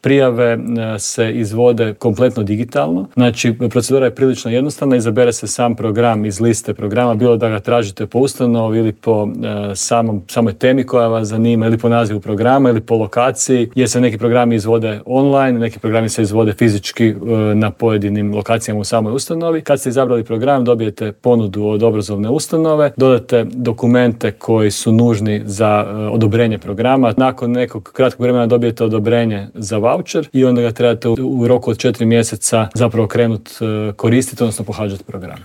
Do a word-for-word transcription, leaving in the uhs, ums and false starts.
Prijave se izvode kompletno digitalno. Znači, procedura je prilično jednostavna, izabere se sam program iz liste programa, bilo da ga tražite po ustanovi ili po e, samom, samoj temi koja vas zanima, ili po nazivu programa, ili po lokaciji, jer se neki programi izvode online, neki programi se izvode fizički e, na pojedinim lokacijama u samoj ustanovi. Kad ste izabrali program, dobijete ponudu od obrazovne ustanove, dodate dokumente koji su nužni za e, odobrenje programa. Nakon nekog kratkog vremena dobijete odobrenje za voucher i onda ga trebate u, u roku od četiri mjeseca zapravo krenuti e, koristiti, odnosno pohađati program.